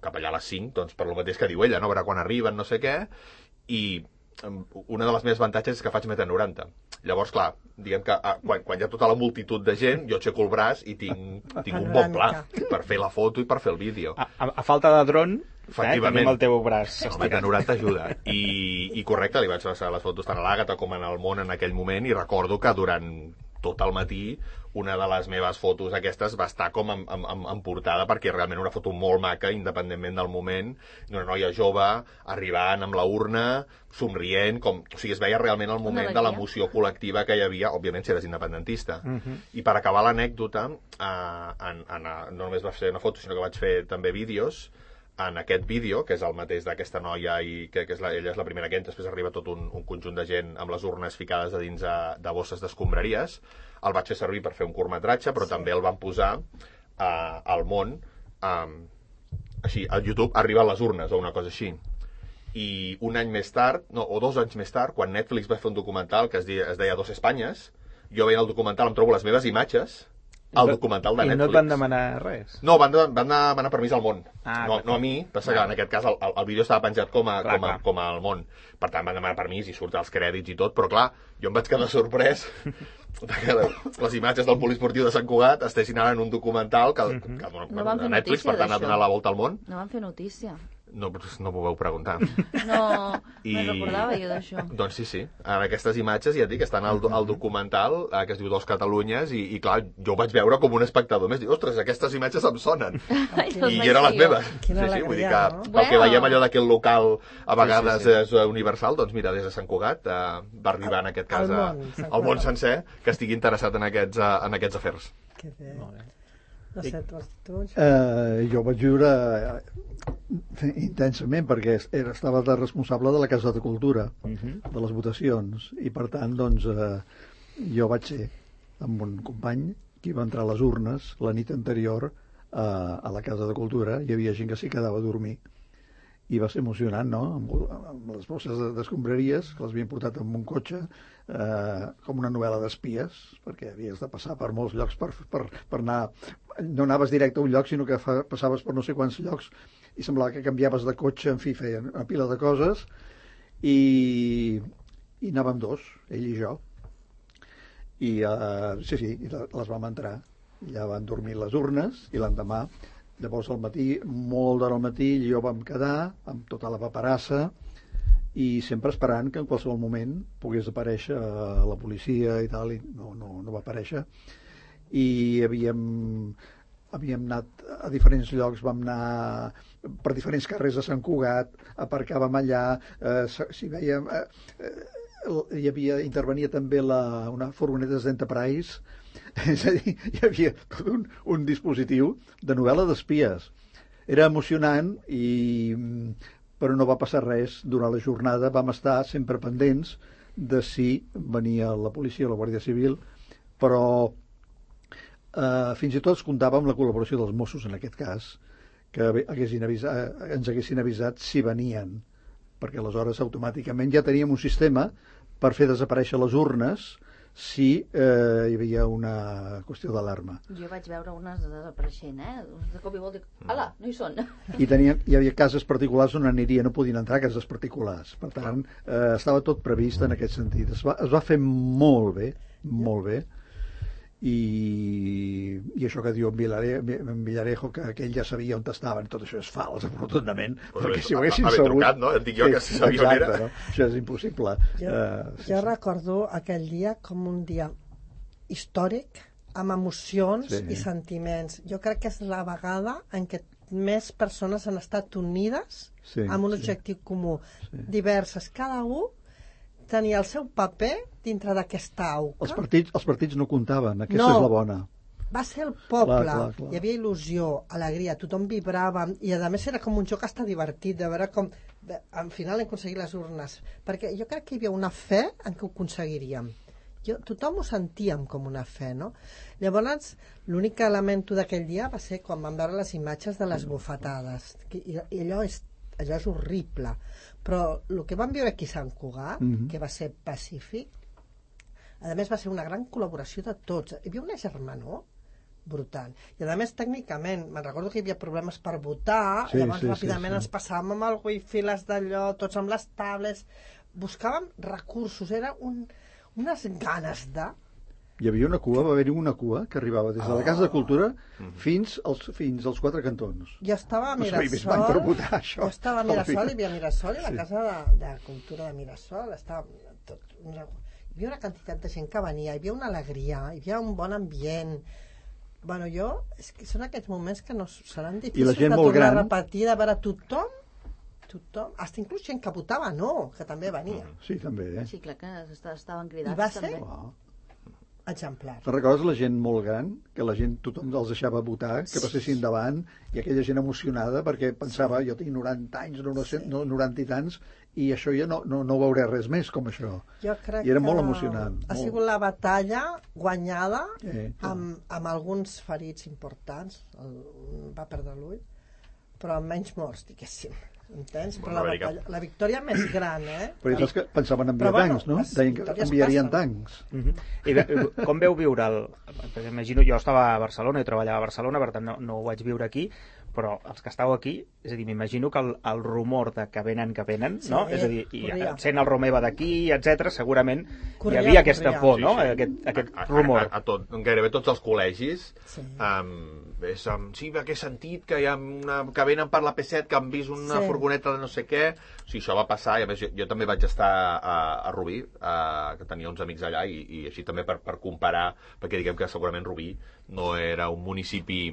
S4: cap allà a les cinc, doncs per lo mateix que diu ella, no? A veure quan arriben, no sé què, i una de les meves avantatges és que faig meta noranta. Llavors, clar, diguem que a, quan, quan hi ha tota la multitud de gent, jo aixeco el braç i tinc, tinc un bon pla per fer la foto i per fer el vídeo.
S2: A, a, a falta de dron, eh, tenim el teu braç.
S4: El meta noranta ajuda. I, I correcte, li vaig passar les fotos tant a l'Àgata com en el món en aquell moment, i recordo que durant tot el matí una de les meves fotos aquestes va estar com en, en, en portada, perquè realment una foto molt maca, independentment del moment, d'una noia jove arribant amb la urna, somrient, com, o sigui, es veia realment el moment de l'emoció col·lectiva que hi havia, òbviament si eres independentista. Uh -huh. I per acabar l'anècdota, eh, en, en, no només va fer una foto, sinó que vaig fer també vídeos. En aquest vídeo, que és el mateix d'aquesta noia, i que, que és la, ella és la primera que entra, després arriba tot un, un conjunt de gent amb les urnes ficades a dins de, de bosses d'escombraries, el vaig fer servir per fer un curtmetratge, però sí. també el van posar uh, al món, um, així, a YouTube arriben les urnes, o una cosa així. I un any més tard, no, o dos anys més tard, quan Netflix va fer un documental que es deia, es deia Dos Espanyes, jo veient el documental em trobo les meves imatges al documental de Netflix.
S2: I no et van demanar res?
S4: No, van, van demanar permís al món.
S2: Ah,
S4: no, no a mi, passa que en aquest cas el, el vídeo estava penjat com a,
S2: clar,
S4: com, a, com al món. Per tant, van demanar permís i surt els crèdits i tot, però clar, jo em vaig quedar sorprès que les imatges del poliesportiu de Sant Cugat estessin ara en un documental que, uh-huh. que, que
S6: no van
S4: de Netflix, per tant, ha donat la volta al món.
S6: No van fer notícia.
S4: No, no m'ho vau preguntar.
S6: No,
S4: I...
S6: no recordava jo d'això.
S4: Doncs sí, sí. En aquestes imatges, ja et dic, estan al, al documental eh, que es diu Dos Catalunyes i, i clar, jo ho vaig veure com un espectador més. Dic, ostres, aquestes imatges em sonen. I eren les meves.
S3: Quina
S4: sí, sí, vull dir que
S3: alegria, no?
S4: el
S6: Bueno.
S4: que veiem allò d'aquest local a vegades
S2: sí, sí, sí.
S4: és universal, doncs mira, des de Sant Cugat eh, va arribar en aquest cas
S3: Al
S4: a-
S3: món, Sant
S4: al món
S3: Cugat.
S4: sencer que estigui interessat en aquests, eh, en aquests afers.
S3: Que bé.
S2: Molt bé.
S3: No sé, tu, tu
S5: Eh, jo vaig viure eh, intensament perquè era, estava de responsable de la Casa de Cultura,
S2: Uh -huh.
S5: de les votacions, i per tant doncs, eh, jo vaig ser amb un company que va entrar a les urnes la nit anterior eh, a la Casa de Cultura. Hi havia gent que s'hi quedava a dormir i va ser emocionant, no? Amb, amb les bosses de- d'escombraries, que les havien portat amb un cotxe, eh, com una novel·la d'espies, perquè havies de passar per molts llocs per, per, per anar... No anaves directe a un lloc, sinó que fa, passaves per no sé quants llocs i semblava que canviaves de cotxe, en fi, feien una pila de coses, i, i anàvem dos, ell i jo. I, eh, sí, sí, i les vam entrar. Ja van dormir les urnes, i l'endemà, llavors al matí, molt d'hora al matí, jo vam quedar amb tota la paperassa i sempre esperant que en qualsevol moment pogués aparèixer eh, la policia i tal, i no, no, no va aparèixer. I havíem, havíem anat a diferents llocs, vam anar per diferents carrers de Sant Cugat, aparcàvem allà, eh, si veiem... Eh, eh, hi havia, intervenia també la, una furgoneta d'Enterprise, és a dir, hi havia tot un, un dispositiu de novel·la d'espies. Era emocionant, i, però no va passar res durant la jornada. Vam estar sempre pendents de si venia la policia o la Guàrdia Civil, però eh, fins i tot es comptava amb la col·laboració dels Mossos, en aquest cas, que haguessin avisat, ens haguessin avisat si venien, perquè aleshores automàticament ja teníem un sistema per fer desaparèixer les urnes si eh, hi havia una qüestió d'alarma.
S6: Jo vaig veure unes desapareixent, eh? De cop i volta, ala, no hi són.
S5: I tenien, hi havia cases particulars on aniria, no podien entrar cases particulars. Per tant, eh, estava tot previst en aquest sentit. Es va, es va fer molt bé, molt bé, i, i això que diu en, Vilare, en Villarejo, que, que ell ja sabia on estaven, tot això és fals, rotundament,
S4: Pues
S5: perquè
S4: haver-
S5: si ho haguessin
S4: haver
S5: sabut...
S4: trucat, no? Et dic jo que si sabia on
S5: exacte,
S4: era.
S5: no? Això és impossible.
S3: Jo,
S5: Eh, sí,
S3: jo
S5: sí.
S3: recordo aquell dia com un dia històric, amb emocions
S5: Sí.
S3: i sentiments. Jo crec que és la vegada en què més persones han estat unides
S5: Sí,
S3: amb un
S5: sí.
S3: objectiu comú.
S5: Sí.
S3: Diverses. Cada un tenia el seu paper dintre d'aquesta auca.
S5: Els partits, els partits no comptaven, aquesta
S3: No.
S5: és la bona.
S3: Va ser el poble,
S5: Clar, clar, clar.
S3: hi havia il·lusió, alegria, tothom vibrava, i a més era com un joc hasta divertit, de veure com de, al final hem aconseguit les urnes, perquè jo crec que hi havia una fe en què ho aconseguiríem. Jo, tothom ho sentíem com una fe, no? Llavors, l'únic que lamento d'aquell dia va ser quan vam veure les imatges de les bufetades, que, i, i allò és allò és horrible, però el que vam viure aquí a Sant Cugat,
S5: Mhm.
S3: que va ser pacífic, a més va ser una gran col·laboració de tots, hi havia una germanor brutal, i a més tècnicament me'n recordo que hi havia problemes per votar,
S5: Sí,
S3: llavors
S5: sí, sí,
S3: ràpidament
S5: sí.
S3: ens passàvem amb el wifi, les d'allò, tots amb les tablets, buscàvem recursos, era un, unes ganes de...
S5: Hi havia una cua, va haver-hi una cua que arribava des de la Casa de Cultura fins als, fins als quatre cantons.
S3: Jo estava a
S5: No sabia més
S3: Mirasol,
S5: van per votar, això.
S3: jo estava a
S5: A la
S3: Mirasol,
S5: fi.
S3: hi havia Mirasol i la
S5: Sí.
S3: Casa de, de Cultura de Mirasol, estava tot... Una... hi havia una quantitat de gent que venia, hi havia una alegria, hi havia un bon ambient. Bueno, jo, és que són aquests moments que no seran difícils de tornar gran... a repetir, de veure tothom, tothom, fins inclús gent que votava no, que també venia.
S5: Sí, també, eh?
S6: Sí, clar que estaven cridats.
S3: I va ser
S6: també.
S3: exemplar.
S5: Te'n recordes la gent molt gran, que la gent, tothom els deixava votar, que passessin davant, i aquella gent emocionada, perquè pensava, jo tinc noranta anys, no, noranta i tants, i això ja no, no, no veuré res més com això.
S3: Jo crec
S5: I era
S3: que
S5: molt emocionant.
S3: Ha
S5: molt.
S3: sigut la batalla guanyada
S5: eh,
S3: amb, amb alguns ferits importants, el, va perdre l'ull, però amb menys morts, diguéssim. Entens? Però la, batalla, la victòria més gran, eh?
S5: Però és que pensaven enviar
S3: Però,
S5: tancs,
S3: bueno,
S5: no? Deien que enviarien tancs.
S2: Uh -huh. I ve, com veu viure el... Perquè imagino, jo estava a Barcelona, jo treballava a Barcelona, per tant no, no ho vaig viure aquí, però els que estàu aquí, és a dir, m'imagino que el, el rumor de que venen, que venen, sí, no? És a dir, i sent el Romeva d'aquí, etcètera, segurament corria, hi havia aquesta corria. por, no? Sí, sí. Aquest, aquest
S4: a,
S2: rumor.
S4: A, a, a tot, gairebé tots els col·legis,
S3: sí.
S4: Um, és, um, sí, que he sentit que, hi ha una, que venen per la P set, que han vist una sí. furgoneta de no sé què. O sigui, això va passar, i a més jo, jo també vaig estar a, a Rubí, a, que tenia uns amics allà, i, i així també per, per comparar, perquè diguem que segurament Rubí no era un municipi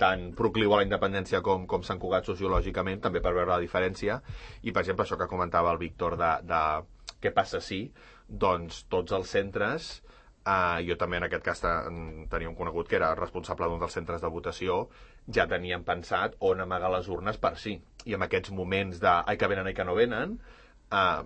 S4: tan procliu a la independència com, com Sant Cugat sociològicament, també per veure la diferència. I, per exemple, això que comentava el Víctor de, de què passa si, doncs tots els centres, eh, jo també en aquest cas tenia un conegut que era responsable d'un dels centres de votació, ja tenien pensat on amagar les urnes per si. I en aquests moments de ai que venen, ai que no venen, eh,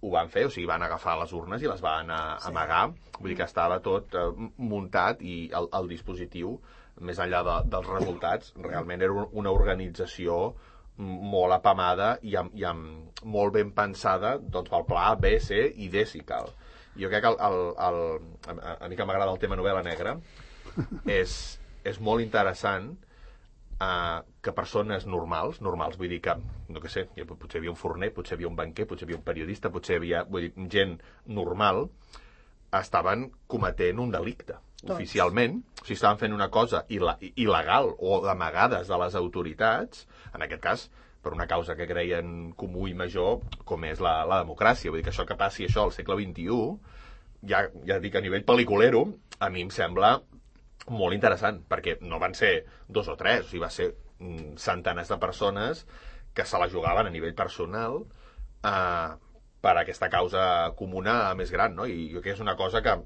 S4: ho van fer, o sigui, van agafar les urnes i les van a, sí. amagar. Vull dir que estava tot eh, muntat i el, el dispositiu, més enllà de, dels resultats, realment era una organització molt apamada i, amb, i amb molt ben pensada doncs, pel pla A, B, C i D, si cal. Jo crec que el, el, el, a, a mi que m'agrada el tema novel·la negra, és, és molt interessant uh, que persones normals, normals, vull dir que, no què sé, potser hi havia un forner, potser hi havia un banquer, potser hi havia un periodista, potser hi havia vull dir, gent normal, estaven cometent un delicte. Tots. Oficialment, o sigui, estaven fent una cosa il·legal o d'amagades de les autoritats, en aquest cas, per una causa que creien comú i major, com és la, la democràcia. Vull dir que això que passi això al segle vint-i-u, ja, ja dic a nivell pel·liculero, a mi em sembla molt interessant, perquè no van ser dos o tres, o sigui, va ser mm, centenars de persones que se la jugaven a nivell personal eh, per aquesta causa comuna més gran, no? I jo crec que és una cosa que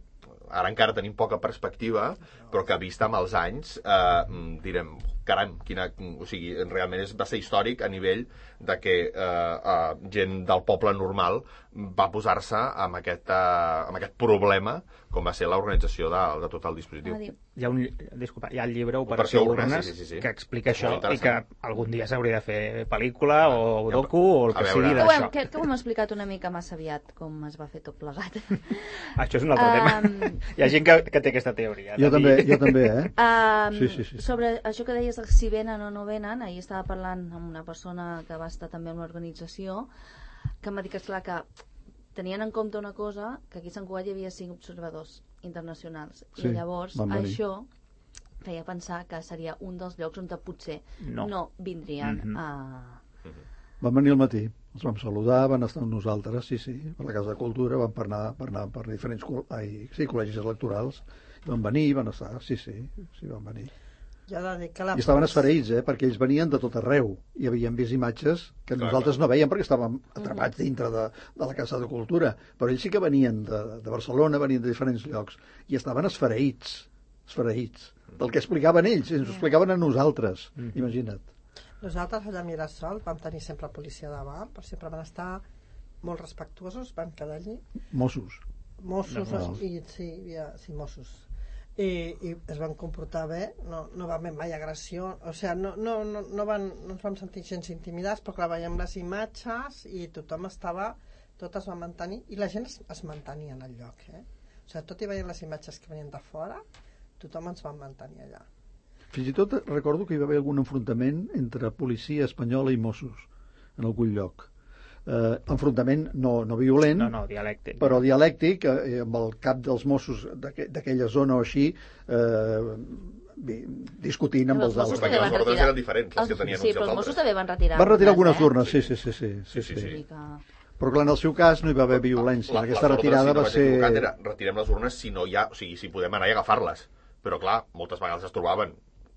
S4: ara encara tenim poca perspectiva, però que vista amb els anys eh, direm, caram, quina, o sigui, realment és, va ser històric a nivell de que eh, eh, gent del poble normal va posar-se amb, aquest, eh, amb aquest problema com va ser l'organització de, de tot el dispositiu.
S2: Hi ha, un, disculpa, hi ha el llibre Operació, Operació Urnes, sí, sí, sí. que explica això i que algun dia s'hauria de fer pel·lícula ah, o docu o el que sigui d'això.
S6: Crec que ho hem explicat una mica massa aviat com es va fer tot plegat.
S2: Això és un altre um... tema. Hi ha gent que, que té aquesta teoria.
S5: Jo també, jo també, eh?
S6: Um,
S5: sí, sí, sí.
S6: Sobre això que deies de si venen o no venen, ahir estava parlant amb una persona que va estar també en una organització que em va dir que, esclar, que tenien en compte una cosa, que aquí a Sant Cugat hi havia cinc observadors internacionals, sí, i llavors això feia pensar que seria un dels llocs on potser no, no vindrien mm-hmm. a...
S5: Van venir al matí, els vam saludar, van estar amb nosaltres, sí, sí, per la Casa de Cultura, van per anar per, anar per diferents ai, sí, col·legis electorals, van venir, van estar, sí, sí, sí, van venir.
S3: Ja I
S5: estaven esfereïts, eh, perquè ells venien de tot arreu i havien vist imatges que clar, nosaltres clar. no veiem perquè estàvem atrapats dintre de, de la Casa de Cultura, però ells sí que venien de, de Barcelona, venien de diferents llocs i estaven esfereïts, esfereïts del que explicaven ells, ens ho explicaven a nosaltres, mm. imagina't.
S3: Nosaltres allà a Mirasol vam tenir sempre policia davant, però sempre van estar molt respectuosos, van quedar allí.
S5: Mossos.
S3: Mossos, no, no. I, sí, ja, sí, Mossos. I, i es van comportar bé, no, no va haver mai agressió, o sigui, no, no, no, no, van, no ens vam sentir gens intimidats, però clar, veiem les imatges i tothom estava, tot es va mantenir, i la gent es, es mantenia en el lloc, eh? O sigui, tot i veient les imatges que venien de fora, tothom ens va mantenir allà.
S5: Fins i tot recordo que hi va haver algun enfrontament entre policia espanyola i Mossos en algun lloc. Eh, enfrontament no, no violent,
S2: no, no, dialèctic,
S5: però dialèctic, eh, amb el cap dels Mossos d'aquella zona o així, eh, discutint amb els altres.
S4: Perquè les ordres eren diferents, les que tenien
S6: sí,
S4: uns i els altres.
S6: Sí, però els Mossos també van retirar.
S5: Van retirar algunes urnes, sí, sí, sí. sí,
S4: sí, sí, sí.
S6: Que
S5: Però clar, en el seu cas no hi va haver violència.
S4: La-
S5: Aquesta
S4: les ordres,
S5: retirada
S4: si no
S5: va
S4: vaig
S5: ser...
S4: equivocat, Era, retirem les urnes si no hi ha... O sigui, si podem anar i agafar-les. Però clar, moltes vegades es trobaven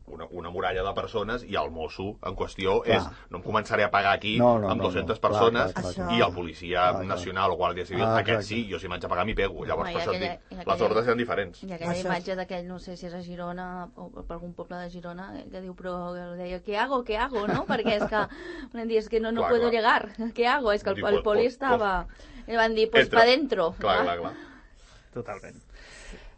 S4: una, una muralla de persones i el mosso en qüestió
S5: Clar.
S4: és no em començaré a pagar aquí
S5: No, no,
S4: amb
S5: no,
S4: dues-centes
S5: no. Clar,
S4: persones
S5: clar,
S3: clar,
S4: i
S3: clar.
S4: el policia
S5: Clar, clar.
S4: nacional o guàrdia civil,
S5: Ah,
S4: aquest
S5: exacte.
S4: sí, jo si m'haig de pagar m'hi pego. Llavors,
S6: Home,
S4: per
S6: i
S4: això et
S6: aquella-
S4: dic,
S6: i aquella-
S4: les ordres eren diferents.
S6: I aquella
S3: Això-
S6: imatge d'aquell, no sé si és a Girona o per algun poble de Girona, que diu, però deia, ¿qué hago, qué hago, no? Perquè és que, van dir, es que no, no
S4: Clar,
S6: puedo
S4: clar.
S6: llegar, ¿qué hago? És que el,
S4: Diu,
S6: el
S4: pues,
S6: poli
S4: pues,
S6: estava... I van dir, pues
S4: Entra.
S6: pa dentro.
S4: Clar, clar, clar.
S2: Totalment.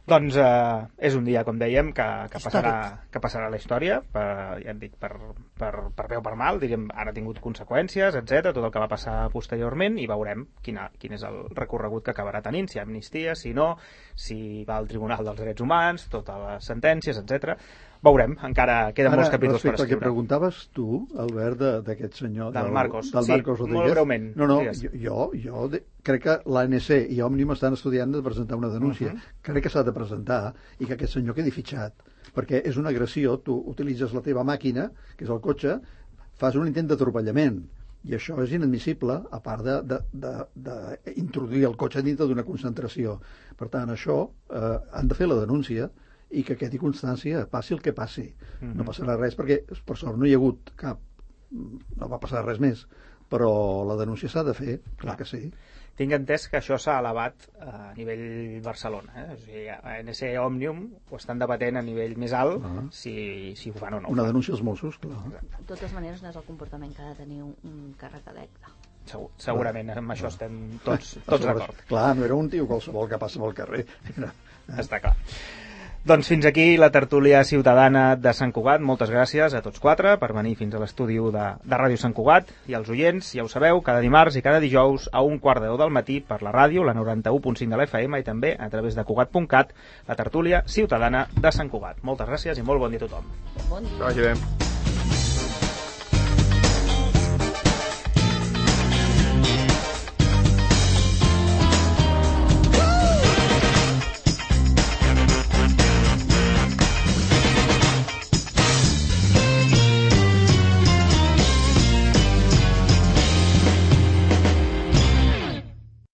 S2: Doncs eh, és un dia, com dèiem, que, que, passarà, que passarà a la història, per, ja hem dit, per, per, per bé o per mal, diríem, ara ha tingut conseqüències, etcètera, tot el que va passar posteriorment, i veurem quina, quin és el recorregut que acabarà tenint, si hi ha amnistia, si no, si va al Tribunal dels Drets Humans, totes les sentències, etcètera. Veurem, encara queden
S5: Ara,
S2: molts capítols per
S5: respecte al que
S2: escriure.
S5: preguntaves tu, Albert, de- d'aquest senyor...
S2: Del Marcos.
S5: Del
S2: Sí,
S5: Marcos
S2: molt
S5: Rodríguez.
S2: breument,
S5: No, no,
S2: digues.
S5: jo, jo, jo de, crec que l'A N C i Òmnium estan estudiant de presentar una denúncia.
S2: Uh -huh.
S5: Crec que s'ha de presentar i que aquest senyor quedi fitxat. Perquè és una agressió, tu utilitzes la teva màquina, que és el cotxe, fas un intent d'atropellament. I això és inadmissible, a part d'introduir el cotxe dintre d'una concentració. Per tant, això eh, han de fer la denúncia i que quedi constància, passi el que passi. Mm-hmm. No passarà res, perquè per sort no hi ha hagut cap... no va passar res més, però la denúncia s'ha de fer, clar que sí.
S2: Tinc entès que això s'ha elevat a nivell Barcelona. Eh? O sigui, a N S Òmnium ho estan debatent a nivell més alt,
S5: Ah.
S2: si, si ho fan o no. ho
S5: Una
S2: fan.
S5: denúncia als Mossos, clar.
S6: De totes maneres, no és el comportament que ha de tenir un, un càrrec electe.
S2: Segur, segurament, amb això estem tots, tots d'acord.
S5: Clar, no era un tio qualsevol que passa pel carrer. Era...
S2: Està clar. Doncs fins aquí la tertúlia ciutadana de Sant Cugat. Moltes gràcies a tots quatre per venir fins a l'estudi de, de Ràdio Sant Cugat. I als oients, ja ho sabeu, cada dimarts i cada dijous a un quart de deu del matí per la ràdio, la noranta-u punt cinc de l'F M, i també a través de Cugat punt cat, la tertúlia ciutadana de Sant Cugat. Moltes gràcies i molt bon dia a tothom.
S6: Bon dia.
S4: Que vagi bé.